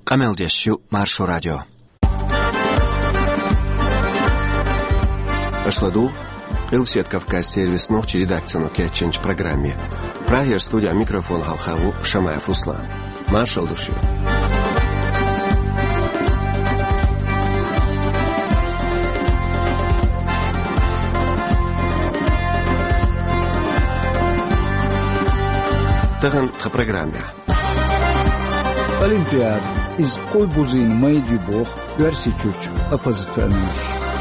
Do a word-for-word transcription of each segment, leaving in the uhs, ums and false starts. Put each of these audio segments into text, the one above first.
Къамел деш ю Маршо радио. Аша ладугӀу Къилбаседа Кавказ сервисан нохчийн редакцино кечйинчу программе. Прагера студехь микрофон хьалха ву Шамаев Руслан. Маршалла ду шуьга. Тахана тхан программехь. Олимпиада, иза къуй бузийна майда ю боху Оьрсийчуьрчу оппозиционераш.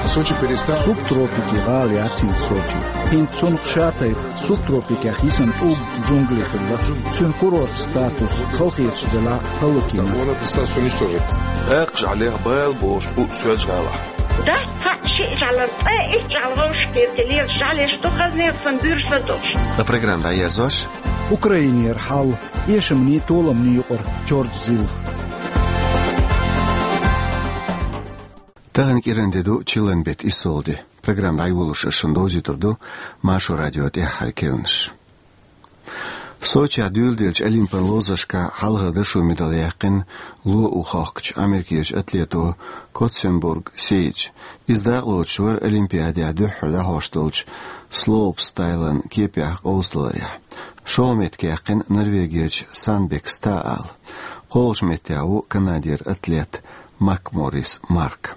Сочи перестал. Субтропике гӀала яц хӀинца Сочи. ХӀинца цунах ша тайпа субтропикех йисина тӀулг джунгли хилла. Цуьнан курорт статус халахеташ делахь а хӀаллакйина. Он этот статус уничтожит. Даккха жӀаьлех бала бохуш бу Соьлжа-ГӀалахь. Дац цхьаъ шиъ жӀаьлара, цкъа итт жӀаьла вовшахкхетта лелаш жӀаьлеш ду, хаза нерсан буьрса долуш. Ткъа программа дӀаерзош. Украинера хьал, эшамний, толамний юкъара чордазилла. Тахана кӀиран де ду, чиллан беттан иссалгӀа де. Программа дӀайолош ас шуна довзуьйтур ду Маршо радион тӀаьххьара керланаш. Сочехь дуьйладеллачу олимпан ловзаршкахь хьалхара дашо медаль яьккхина ло у хохкучу Америкерчу атлето Котценбург Сейдж. Иза дакъалоцуш вара Олимпиадехь дуьххьара дӀахьош долчу слоупстайлан кепехь къовсадаларехь. ШолгӀа меттиг яьккхина Норвегерчу Санбек Стаала. КхоалгӀачу меттехь ву Канадера атлет Макморрис Марк.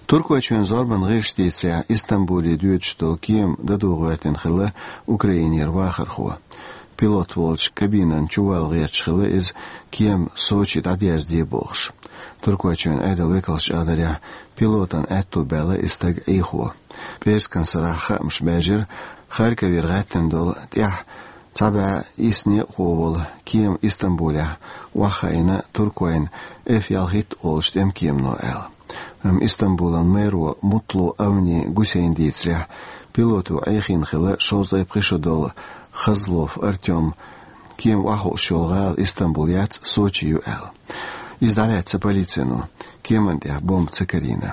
Туркойчоьнан зорбанан гӀирсаша дийцарехь, Истамбуле доьдуш долу кема дадо гӀоьртина хилла Украинера вахархо. Пилот волчу кабинан чу вала гӀерташ хилла иза, кема Сочи дӀадерзаде бохуш. Туркойчоьнан Ӏедалан векалша аьлларехь, пилотан аьтту баьлла и стаг Ӏехо. ПӀераскан сарахь хаамаш баьржира, Харьковера гӀаьттина долу тӀаьхьа цхьа бӀе исс некъахо волу кема Истамбулехь охьахаийна Туркойн Эф ялхитта олучу тӀемкемано аьлла. Амма Истамбулан мэро Мутлу Авни Гусейна дийцарехь, пилото Ӏехийна хилла шовзткъе пхи шо долу Хазлов Артём, кема охьахууш йолу гӀала Истамбул яц, Сочи ю аьлла. Иза дӀалаьцна полицино, кеман тӀехь бомба ца карийна.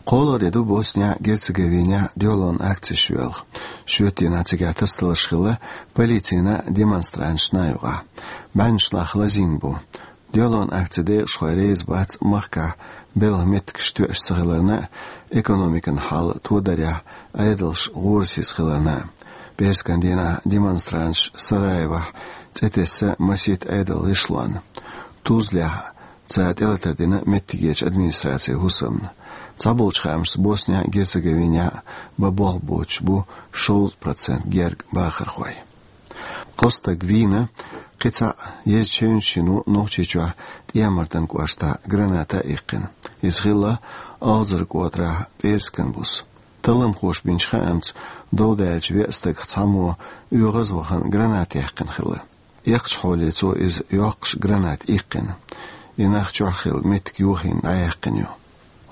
КхоалгӀа де ду Боснехь-Герцеговинехь дуьхьалонан акцеш йоьлху. Шоьтан дийнахь цигахь тасадаларш хилла полицина а, демонстранташна а юкъахь. БӀеннаш лахха лазийна бу. Дуьхьалонан акцин декъашхой реза бац махкахь белхан меттигаш тоьаш ца хиларна а, экономикан хьал тодарехь Ӏедалш гӀорасиз хиларна а. ПӀераскан дийнахь демонстранташ Сараевохь цӀе тесна масийтта Ӏедалан гӀишлонна. Тузлехь цара тӀелатар дина меттигерчу администрацин хӀусамна. Цхьаболчу хаамашца Боснехь-Герцеговинехь бан болх боцуш бу шовзткъа процент герга бахархой. Кхо стаг вийна, кхин цхьаъ езачу хӀевнаш йина ву Нохчийчохь ТӀехьа-Мартан кӀоштахь граната а иккхина. Иза хилла Алзар-КӀотарахь пӀераскан буса. Талламхоша бинчу хаамца, дов даьллачу веа стагах цхьаммо оьгӀаз вахана граната яьккхина хилла. Эккхачу хьоле цо иза йоккхуш граната иккхина. И нах чохь хилла меттиг йохийна дӀаяьккхина ю.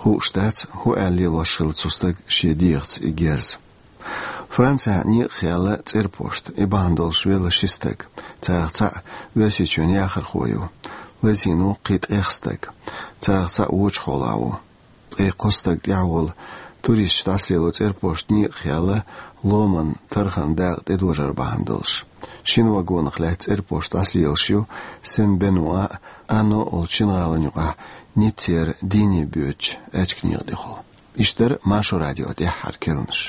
Хууш дац, хӀун аьлла лелош хилла цу стага шен дегӀаца и герз. Францехь некъах яьлла цӀерпошта, и бахьана долуш велла ши стаг. Царах цхьаъ Оьрсийчоьнан яхархо ю. Лазийна ву кхин ткъех стаг. Царах цхьаъ вочу хьолахь ву. Ткъе кхо стаг тӀехь волу туристаш дӀасалело цӀерпошта некъах яьлла ломан тарханан дакъа тӀедожар бахьана долуш. Шина вагонах лаьцна цӀерпошта дӀасалелаш ю Сен-Бенуа а, Анно олучу шина гӀалина юкъахь Ниццера дийне боьдучу аьчка некъа тӀехула. Иштта дара Маршо радион тӀаьххьара керланаш.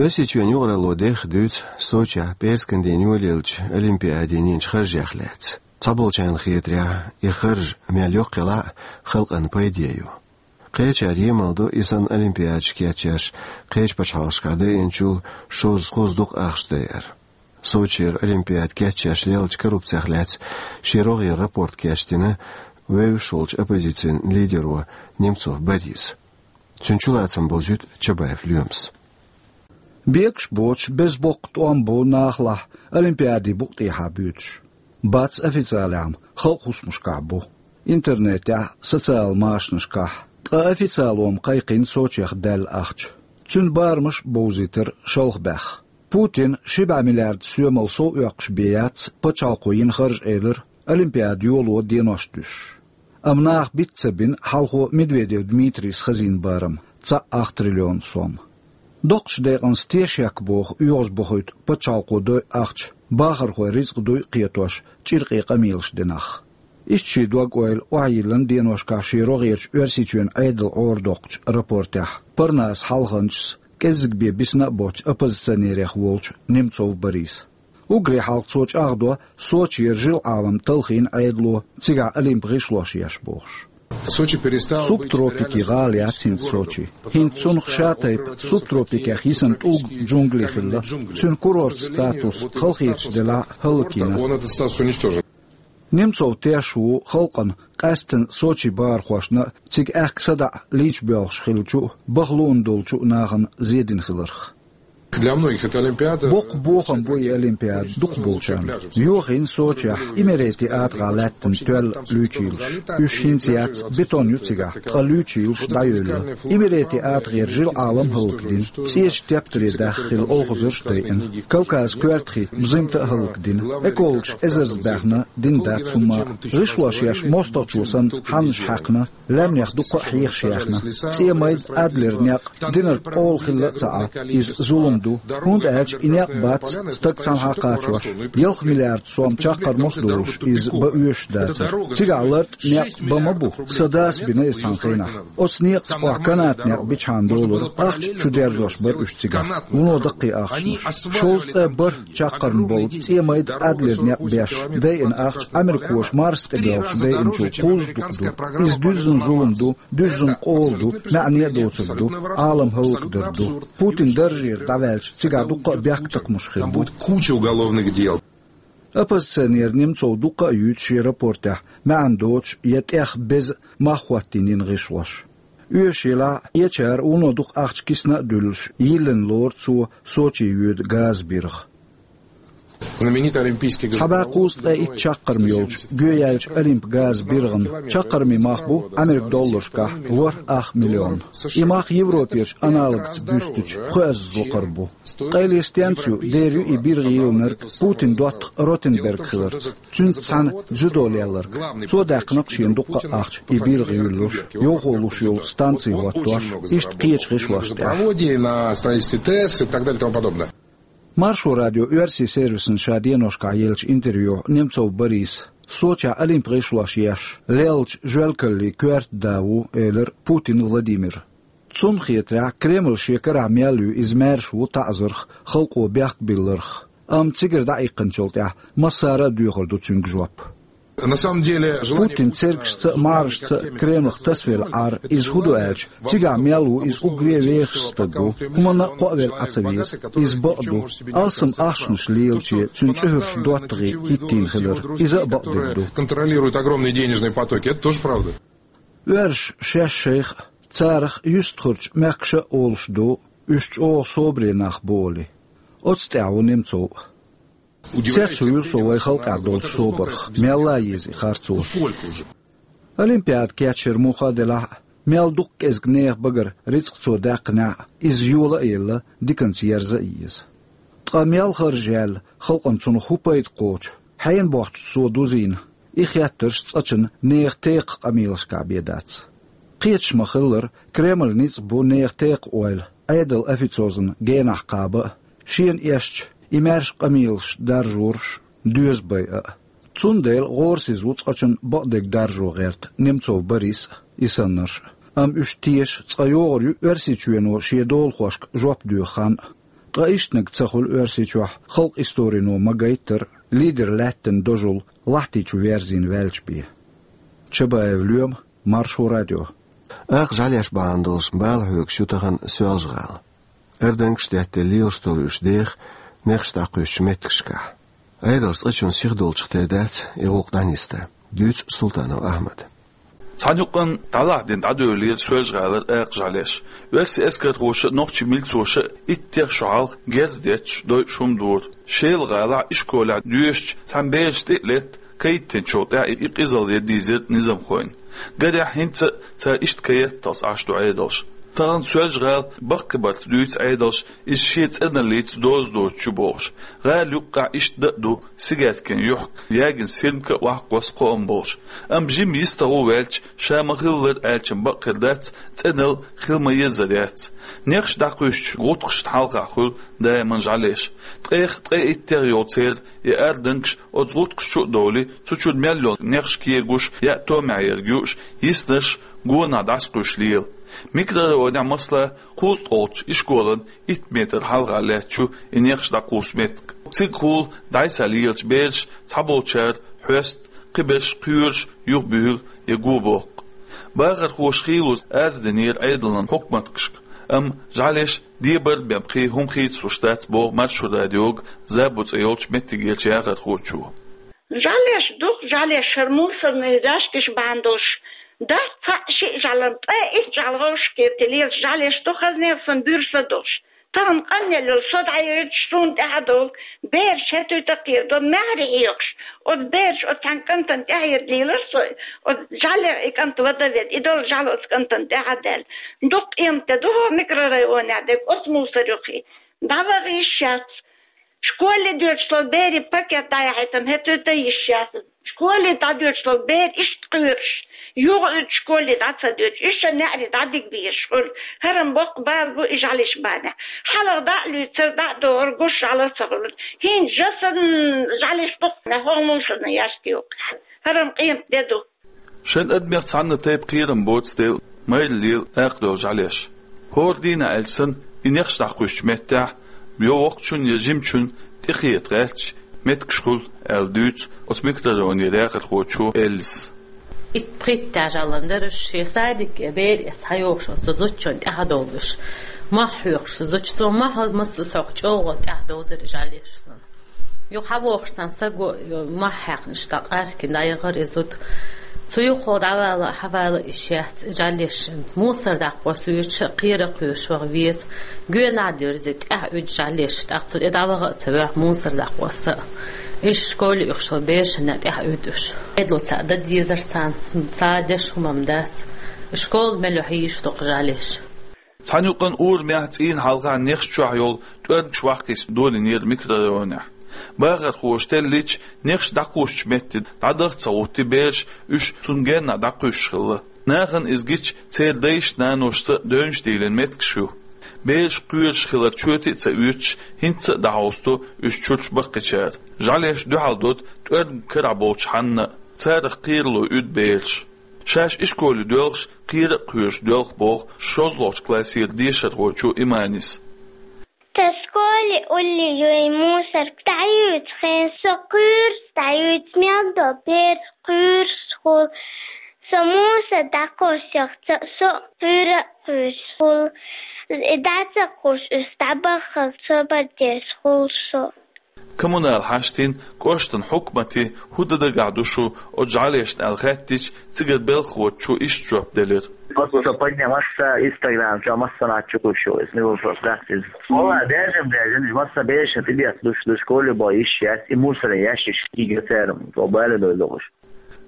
Оьрсийчоьнан юкъаралло дехха дуьйцу Сочехь пӀераскан дийнахь йолаеллачу Олимпиадин йинчу харжех лаьцна. Цхьаболчарна хетарехь, и харж мел йоккха елахь а, халкъана пайде ю. Кхечара емал ду и санна олимпиадаш кечъеш кхечу пачхьалкхашкахь дайинчул шозза-кхузза дукха ахча дайар. Сочера олимпиада кечъеш леллачу коррупцех лаьцна шен рогӀера рапорт кечдина вевзаш волчу оппозицин лидеро Немцов Бориса. Цуьнан чулацам бовзуьйту Чабаев Лоьмас. Бегаш боцуш, беза боккха тӀом бу нахалахь олимпиадин букъ тӀехьа боьдуш. Бац официалехь-м, халкъан хӀусамашкахь бу. Интернетехь, социал машанашкахь. Ткъа официалом кхайкхина Сочех даьлла ахча. Цуьнан барамаш а бовзийтира шалха баьхна. Путина ши бӀе миллиард соьмал сов оьккхуш бен яц пачхьалкхо йина харж, элира, Олимпиада йоло денош дуьсуш. Амма наха биц ца бина хьалхо Медведев Дмитрийс хазийна барам, цхьаъ ах триллион сом. Доккхачу декъанца тешак боху оьгӀазбохуьйту пачхьалкхо дойу ахча, бахархойн рицкъ дуй кхетош, чӀиркъе къамелаш дина нах. Иштта шен дог-ойла охьайиллина деношкахь шен рогӀерачу Оьрсийчоьнан Ӏедал Ӏорадоккхучу рапортехь Парнас хьалханчас кӀеззиг бен бисина а боцчу оппозиционерех волчу Немцов Бориса. Уггаре хьалха цо чӀагӀдо Сочера жил-Ӏалам талхийна Ӏедало, цигахь Олимп гӀишлош еш бохуш. Субтропикийн гӀала яц хӀинца Сочи. ХӀинца цунах ша тайпа субтропикех йисина тӀулг, джунгли хилла. Цуьнан курорт статус халахеташ делахь а хӀаллакйина. Немцов теш ву халкъана къаьсттина Сочи бахархошна а, цига аьхка садаӀа лийча боьлхуш хиллачу а, баха луун долчу а нахана зен дина хиларх. Боккха бохам бу и Олимпиада дукхахболчарна. Йохийна Сочехь Имерети атагӀахь лаьттина тоьлла луьйчийлаш. Уьш хӀинца яц, бетон ю цигахь, ткъа луьйчийлаш дӀайевлла. Имерети атагӀера жил-Ӏалам хӀаллакдина, цӀечу тептаре даьхна хилла олхазарш а дайина. Кавказан коьртахь бузимта а хӀаллакдина. Экологаша эзарза баьхна, дина дац хӀумма а. ГӀишлош еш мостагӀчо санна хьаннаш хьаькхна, лаьмнех дуккха а хьехаш яьхна. ЦӀен майда Адлер некъ динарг къола хилла а ца Ӏа, иза зулам ду, хӀунда аьлча и некъ бац стаг цхьанхьа кхачош. Ялх миллиард сом чаккхармах а долуш, иза бан оьшуш дацара. Цигахь лартӀа некъ бан ма бу, сан дас бина иза цхьана хенахь. Оцу некъаца охьа канат некъ бичхьана долура, ахча чу дерзош бара уьш цигахь. Вуно даккхий ахчанаш. Шовзткъе бархӀ чаккхарма болу цӀен майда Адлер некъ беш дайина ахча, америкоша Марс тӀе боьлхуш дайинчул кхузза дукха ду. Иза дуьззина зулам ду, дуьззина къола ду, маьӀне а доцург ду, Ӏалам хӀаллакдар ду. Путин даржера дӀаваьлча, цигахь дуккха а бехктакхамаш хир бу. Там будет куча уголовных дел. Оппозиционер Немцов дуккха а юьйцу шен рапортехь маьӀна доцуш я тӀех беза мах хӀоттийна йина гӀишлош. Оьшуш елахь а, эчара вуно дукха ахча кисна а дуьллуш, йиллина лору цо Сочи йоьду газан биргӀа. Цхьа бӀе кхузткъе итт чаккхарма йолчу гӀоьяьллачу Олимп газан биргӀан чаккхармийн мах бу Ӏамеркан долларшкахь ворхӀ ах миллион. И мах Европерчу аналогца буьстича пхоьазза лакхара бу. Къайле стенца ю, дера ю и биргӀа йиллинарг Путин доттагӀа Ротенберг хиларца. Цуьнца цхьаьна дзюдо лелларг. Цо даьккхина-кх шена дуккха а ахча, и биргӀа юьллуш, йовхо луш йолу станци хӀоттош, иштта кхечу гӀишлошна тӀехь. Технологии на строительстве ТЭС и так далее и тому подобное. Маршо радион оьрсийн сервисна ша деношкахь еллачу интервьюхь Немцов Бориса Сочехь Олимп гӀишлош еш леллачу жоьлкаллийн коьрта да ву, элира Путин Владимира. Цунна хетарехь, Кремль шен карахь мел ю, иза маьрша ву таӀзарх, халкъо бехк билларх, амма цигара дӀаиккхинчул тӀаьхьа массара а доьхур ду цуьнга жоп. На самом деле, желание Путин цергашца а, мархашца а Кремлах тасавелла Ӏар, иза хӀун ду аьлча, цигахь мел ву иза уггаре а вехаш стаг ву, хӀуманна а кхоавелла Ӏа ца веза. Иза бакъ ду. Алсам ахчанаш лелаче цуьнан цӀуьхурш доттагӀий хӀиттийна хилар, иза а бакъдерг ду. Контролирует огромные денежные потоки, это тоже правда. Оьрсаша шаьш шайх а, царах юьстахарчу мехкаша а олуш ду, уьш чӀогӀа собаре нах бу олий. Оцу тӀехь ву Немцов а. Цец вуьйр со вайн халкъехь долчу собарх, мелла а еза и харцо. Олимпиада кечйира муха делахь а, мел дукха кӀезиг нехан багара рицкъ цо даьккхинехь а, иза йола а елла, диканца ерза а еза. Ткъа мел харжа яьлла, халкъана цунах хӀун пайда кхочу? Хьенан бохчуца цо дузийна? И хеттарш цкъачунна нехан текхачу къамелашкахь бен дац. Кхеташ ма-хиллара, Кремль ницкъ бу нехан текха ойла Ӏедалан официозан генахь кхаба а, шена эшча, и маьрша къамелаш даржораш а, доьза байа а. Цундела гӀорасиза ву цкъачунна бакъдерг даржо гӀерта Немцов Борис а, и саннарш а. Амма уьш теша, цкъа йогӀур ю Оьрсийчоьно шен долахошка жоп доьху хан а. Ткъа ишттаниг ца хуьлу Оьрсийчохь, халкъан историно ма-гайттара, лидер лаьттина дожул лахьти чу верзийна ваьлча бен. Чабаев Лоьма, Маршо радио. Акха жӀаьлеш бахьана долуш бала хьоьгуш ю тахана Соьлжа-ГӀала. Ардангаш а деттина лелаш долу уьш деха нехаш дӀакхуьссучу меттигашкахь. Ӏедалш цкъачунна сиха долчух тера дац и гӀуллакх дӀанисдан, дуьйцу Султанов Ахьмада. Цхьана юкъанна дӀалахьдина дӀадоьллера Соьлжа-ГӀалара акха жӀаьлеш. Оьрсийн эскархоша а, нохчийн милцоша а иттех шо хьалха герз детташ дойуш хӀума дора. Шела-ГӀалахь ишколехь доьшучу цхьана бераш тӀе а летта, кхайттинчул тӀаьхьа и къизалла ян дийзира низамхойн. Гарехь, хӀинца а цара иштта кхайкхийталц Ӏаш ду Ӏедалш. Тахан Соьлжа-ГӀала баккхийбарца дуьйцу Ӏедалша, иза шен цӀеналлица доза доцуш ю бохуш. ГӀала юккъехь иштта дан а ду, Сигатикан юьхь ягийна сирмка а ваккха кхоам болуш. Амма жима йистехь ву ваьлча, ша ма-хиллара аьлча бакъ хир дац, цӀеналла хила ма-еззара яц. Нехаш дӀакхуьйсучу гӀутакхашна хьалха хуьлу даиман жӀаьлеш. Ткъех, ткъе иттех йолу церан и ардангаш оцу гӀутакхаш чу а довлий, цу чуьра мел йолу нехаш кегош, яа томехь ерг юуш, йиснарш гонах дӀасакхуьйсуш лела. Микрорайонехь, масала, кхузткъолгӀачу ишколан итт метр хьалха лаьтташ ю и нехаш дӀакхуссу меттиг. Цига хуьлу дӀасалелачу бераша, цхьаболчара хьоьсту, кхиберш кхоьруш юхабуьйлу я гобоккху. Бахархоша хийлаза арз динера Ӏедална, хьукматашка, амма жӀаьлеш дебар а бен пхи хӀума хийцалуш дац, боху Маршо радиога Забо цӀе йолчу меттигерчу яхархочо. ЖӀаьлеш ду-кх, жӀаьлеш, хӀара мусорный ящикаш бахьана долуш дац цхьаъ-шиъ жӀаьла, ткъе итт жӀаьла гӀовшке тилелаш жӀаьлеш ду, хаза нехсан буьрса долуш. Тахана къанъелла йолу со дӀайоьдуш, суна тӀаьхьа довла бераш хӀетуьйту кхера, до маьхьарий хьоькхуш, оцу бераш оцу цхьана кӀантана тӀаьхьа ерг лелара со, оцу жӀаьлех и кӀант вада веда, и долу жӀаьла оцу кӀантана тӀаьхьа даьлла. Дукха къемат де ду хӀокху микрорайонехь дерг оцу мусор юххе. ДӀаваха йиш яц. Школе доьдуш долу берийн пакет дӀаяхьийтина хӀетуьйту йиш яц. Школе дӀадоьдуш долу бер иштта кхоьруш, юха уьдуш школе дӀа ца доьдуш, уьш а неӀаре дӀадига безаш хуьлу. ХӀара-м боккха бала бу и жӀаьлеш бахьанехь. Хьалха дӀа а луьйцура, дӀа а догӀура, гуш жӀаьла а ца хуьлура. ХӀинца жа санна жӀаьлеш ду-кх хӀокху мусорный ящике юккъехь. ХӀара-м къемат де ду. Шайн адамех цхьанна тайпа кхерам боцу дела майра лела акхадевлла жӀаьлеш. ХӀора дийнахь аьлча санна, и нехаш дӀакхуьссучу меттехь, я воккхачун, я жимачун тӀекхета гӀерташ меттигаш хуьлу, аьлла дуьйцу оцу микрорайонера яхархочо Эллис. Итт-пхийтта жӀаьлан даржаш, шен садике бер эца схьайогӀуш оцу зудчунна тӀаьхьадовлуш, мохь хьоькхуш зудчо, цо мохь масса а схьа чӀогӀа тӀаьхьадовзара и жӀаьлеш санна. Юха схьавогӀуш цхьана стага мохь хьаькхнаш дӀакъаьхкина дӀаяхара и зуда. Цу юххехула дӀавала а, схьавала а йиш яц и жӀаьлеш. Мусор дӀакхосса воьдуш а, кхера а кхоьруш ваха веза. Гоьнахь дерзий, тӀаьхьа уьду жӀаьлеш, тӀаккха цу тӀе дӀаваха а ца воьгӀу мусор дӀакхосса а. Иштта школе оьхуш долу берашна тӀаьхьа уьду уьш. Ӏедало цхьаъ дан дезара царна, цара деш хӀума-м дац. Школа мел ю хьийзаш ду-кх жӀаьлеш. Цхьана юкъанна урамехь, цӀийнан хьалха нехаш чохь йолу тӀоьрмигаш ваккхийчу долийнера микрорайонехь. Бахархоша теллича, нехаш дӀакхуссучу метте дӀадаха а ца гӀоттий бераш, уьш цунна геннахь дӀакхуьссуш хилла. Нахана иза гича, церан дайшна-наношца а девнаш дийлина меттигаш ю. Бераш кхоьруш хилар чоьте а ца оьцуш, хӀинца а дӀахьовсадо уьш чуьрчу баккхийчара. ЖӀаьлеш дуьхьал доду тӀоьрмиг карахь болчу ханна а, царах кхерало уьду бераш. Шаьш ишколе доьлхуш, кхера а кхоьруш доьлху, боху шолгӀачу классера дешархочо Иманис. Тхан школе улле ю и мусорка, дӀаюьйцу хенахь со кхоьрус, дӀаюьйцу мел долу бер кхоьруш хуьлу. Со мусор дӀакхоссахь, со а кхоьра а кхоьруш хуьлу. И дӀа ца кхуссуш, уьш дӀабаххалц собар деш хуьлу со. Коммунал хьаштийн, кӀоштан хьукматийн хӀун дан дагахь ду шун оцу жӀаьлешна аьлла хаьттича, цигара белхахочо иштта жоп делира. Просто со поднял, масса Instagram чохь, массанхьа чукхуьйсуш ю иза, не вопрос дац иза. Валла, даьржина, даьржина, масса берашна тӀедеха душ ду, школе бо йиш яц, и мусорный ящикаш кийга церан, со бале дой дохуш.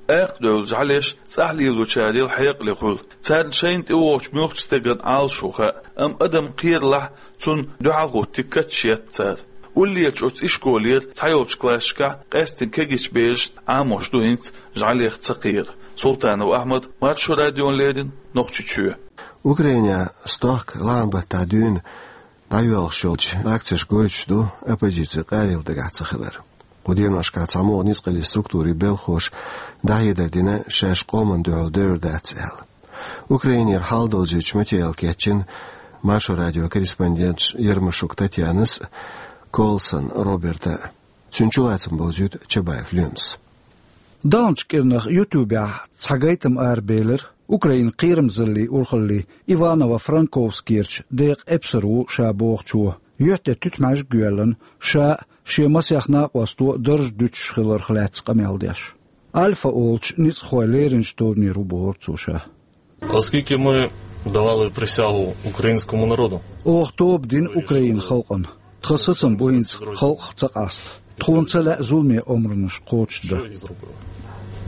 Акхадевлла жӀаьлеш цӀахь лелочарел хьекъале хуьлу. Царна шайна тӀевогӀучу муьлххачу стеган Ӏалашо хаьа, амма адам кхералахь, цунна дуьхьал хӀуттий катча етта цара. Уллерчу оцу ишколера цхьайолчу классашкахь къаьсттина кегийчу берашна Ӏамош ду хӀинца жӀаьлех ца кхера. Султанов Ахьмад, Маршо радиона леррина, Нохчийчоь. Украинехь стохка лахьан баттахь дуьйна дӀайоьлхуш йолчу акцешка гойтуш ду оппозицин къарел дагахь ца хилар. Кху деношкахь цхьамогӀа ницкъаллин структурийн белхахоша дӀахьедар дина, шаьш къоманна дуьхьал девр дац аьлла. Украинера хьал довзуьйтуш материал кечйина Маршо радион корреспонденташ Ермашук Татьянас а, Колсон Роберта а. Цуьнан чулацам бовзуьйту Чабаев Лемас. Даханчу кӀирнах YouTube-ехь цхьа гайтам арабелира Украинан кхерамзаллин урхаллин Иваново-Франковскерчу декъан эпсар ву ша бохучо. Юьхь тӀе туьтмӀаьжиг йоьллина, ша а, шен масех накъосто а дарж дуьтуш хиларх лаьцна къамел деш. Альфа олучу ницкъахойн леринчу тобанера ву бохура цо ша. Оскільки ми давали присягу українському народу. Оха тоба дина Українан халкъана. Тхан сацам бу хӀинца халкъах ца къаста. Тхуна ца лаьа зуламе омранаш кхочушдан.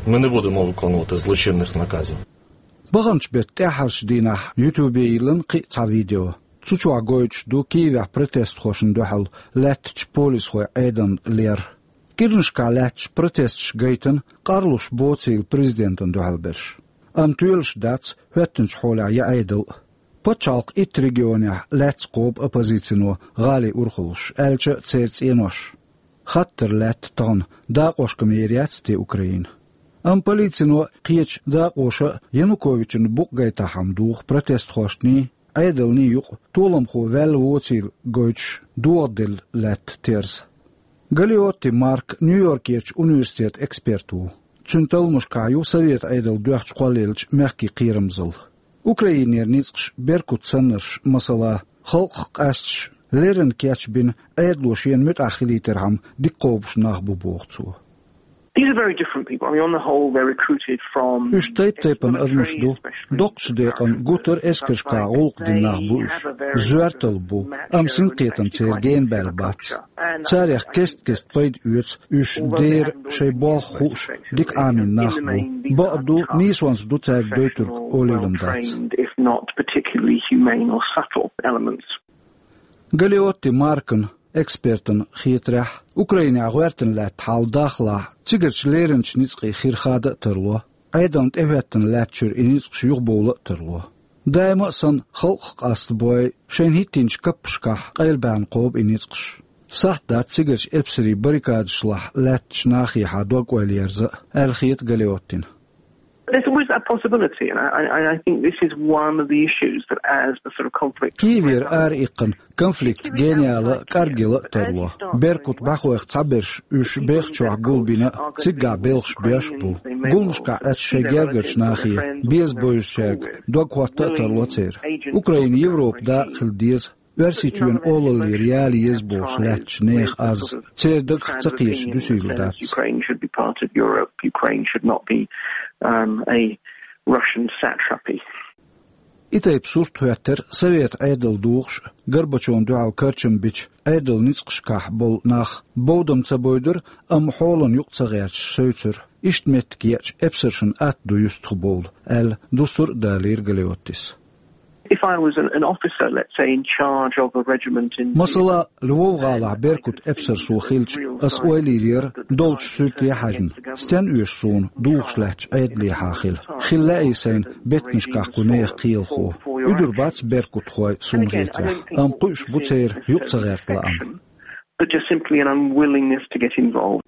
Ми не будемо виконувати злочинних наказів. Баханчу беттан тӀаьххьарчу дийнахь YouTube-е йиллина кхин а цхьа видео. Цу чохь гойтуш ду Киевехь протестхошна дуьхьал лаьттачу полисхойн Ӏедална лер. КӀирнашкахь лаьтташ протесташ гайтина, къарлуш боцийла президентана дуьхьал берш. Амма тоьлуш дац хӀоьттинчу хьолехь я Ӏедал а. Пачхьалкхан итт регионехь лаьцна кхобу оппозицино гӀалин урхаллаш, аьлча а церан цӀенош. Хаттар лаьтта тахана, дакъошка ма ер яц те Украина. Амма полицино а, кхечу дакъоша а Януковична букъ гайтахь-м духу протестхошний, Ӏедалний юкъа толамхо ваьлла воцийла гойтуш догӀа делла лаьтта терза. Галиотти Марк Нью-Йоркерчу университетан эксперт ву. Цуьнан талламашкахь ю Совет Ӏедал доьхначу кхоллаеллачу мехкийн кхерамзалла. Украинера ницкъаш беркат саннарш, масала, халкъах къаьсташ, леррина кечбина, Ӏедало шена муьтӀахь хилийтархьама дика кхобуш нах бу, боху цо. These are very different people. I mean, on the whole, they're recruited from Уьш тайп-тайпана адамаш ду. Доккхачу декъана гуттар а эскаршкахь гӀуллакх дина нах бу уьш. Зоьрталла бу, амма синкхетам церан генабаьлла бац. Царех кест-кеста пайда оьцу уьш дера шайн болх хууш, дика Ӏамийна нах бу. Бакъ ду, нийсонца ду цаьрга дойтург олийла-м дац. If not particularly humane or subtle elements. Галиотти Маркан, экспертан, хетарехь, Украинехь гӀоьртина лаьтта хьал дахалахь, цигарчу леринчу ницкъийн хир хада а тарло, Ӏедална тӀехӀоьттина лаьттачуьра и ницкъаш юхабовла а тарло. Даима а санна, халкъах къаста бой, шайна хӀиттийначу каппашкахь къайлабаьхна кхобу и ницкъаш. Сахьт дац цигарчу эпсарийн баррикадашлахь лаьттачу нахехьа дог-ойла ерза а, аьлла хета Галиоттина. There's always that possibility, and I, I, I think this is one of the issues that as the sort of conflict Киевера ара иккхина, конфликт генаяла а, кӀаргъяла а тарло. Беркут бӀаьхойх цхьаберш уьш бехачохь гулбина а, циггахь белхаш беш а бу. Гуламашкахь Ӏаьржачу шайн гергарчу нахе беза бевзачаьрга дог хӀотта а тарло церан. Украина Европан дакъа хила деза, Оьрсийчоьнан олаллера яла еза бохуш лаьттачу нехан аз, церан дагах ца кхеташ дуьсийла дац. Ukraine should be part of Europe. Ukraine should not be, um, a Russian satrapy. И тайпа сурт хӀоьттира Совет Ӏедал духуш а, Горбачевна дуьхьал карчам бича Ӏедалан ницкъашкахь болу нах. Бовдам ца бойдура, амма хьолан юкъа ца гӀерташ севцира. Иштта меттиг еача, эпсаршна атта ду юьстахбовла, аьлла, дустар а далийра Галиоттис. If I was an, an officer, let's say, in charge of a regiment in Масала, Львов-гӀалахь Беркут эпсар со хилча, ас ойла йийр яра, долчу суьрте хьаьжна, стенна оьшу суна духуш лаьттачу Ӏедалехьа хила. Хила лаьий сайна беттанашкахь кху нехан кхелахо. Уьдур бац беркутхой суна хетарехь, амма кхуьуш бу церан юкъа ца гӀерта лаам. But just simply an unwillingness to get involved.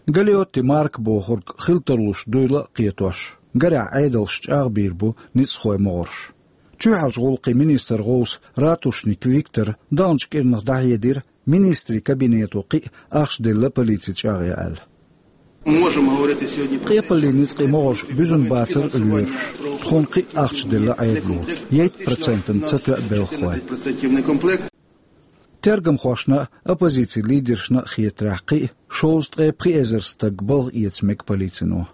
Галиотти Марка бохург хила тарлуш дуйла а кхетош, гарехь Ӏедалш чӀагӀбийр бу ницкъахойн могӀарш. Чоьхьарчу гӀуллакхийн министран гӀовса Ратушник Виктора даханчу кӀирнах дӀахьедира, министрийн кабинето кхин а ахча делла полици чӀагӀъян аьлла. Къепаллин ницкъийн могӀарш буьзна бацара лоьраш. Тхуна кхин а ахча делла Ӏедало. Итт процентана ца тоьа белхахой. Тергамхошна а, оппозицин лидершна а хетарехь, кхин а шовзткъе пхи эзар стаг балха эца мега полицино.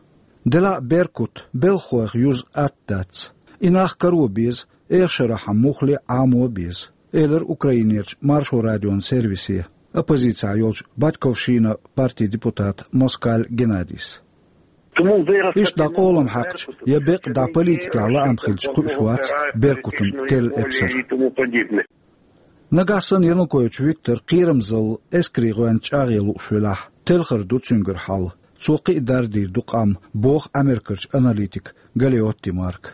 Делахь а Беркут белхахойх юза атта дац. И нах каро беза, эха шарахь муххале а Ӏамо беза, элира Украинерчу Маршо радион сервисе оппозицехь йолчу Батьковщина партин депутата Москаль Геннадийс. Иштта дӀа къолам хьаькхча, я бекъа дӀа политикехь лаам хилча кхуьуш вац Беркутан телла эпсар. Нагахь санна Янукович Виктор кхерамзалла эскарийн гӀоьнца чӀагӀъян лууш велахь, телхар ду цуьнгара хьал. Цо кхин а дардийр ду къам, боху Америкерчу аналитика Галиотти Марка.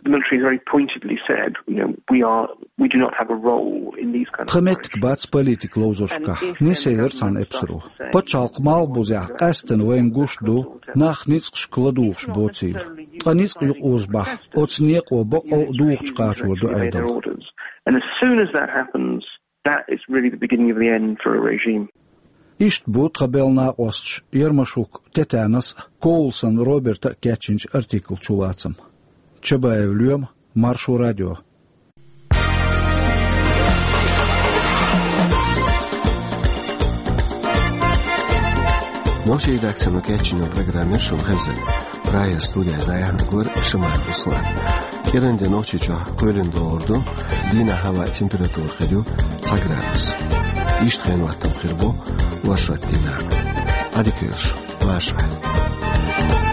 The military has very pointedly said, you know, we are, we do not have a role in these kind of Тхан меттиг бац политика ловзаршкахь, нисъелира цхьана эпсаро. Пачхьалкхан малхбузехь къаьсттина вайна гуш ду нах ницкъашка ладугӀуш боцийла. Ткъа ницкъ юкъаозабахь, оцу некъо бакъо а духучу кхачор ду Ӏедал. And as soon as that happens, that is really the beginning of the end for a regime. Иштта бу тхан белхан накъосташа Ярмашук Тетянас а, Коулсон Роберта а кечйинчу артиклан чулацам. Чабаев Лоьма, Маршо радио. Нохчийн редакцино кечйина программа шуна хезира. Прагера студехь дӀаяьхьнарг вара Шамаев Руслан. КӀиранде Нохчийчохь кхоьлина догӀур ду, дийнахь хӀаваан температура хир ю цхьа градус. Иштта хенан хӀоттам хир бу оршот дийнахь. Ӏадика йойла шун, марша Ӏайла.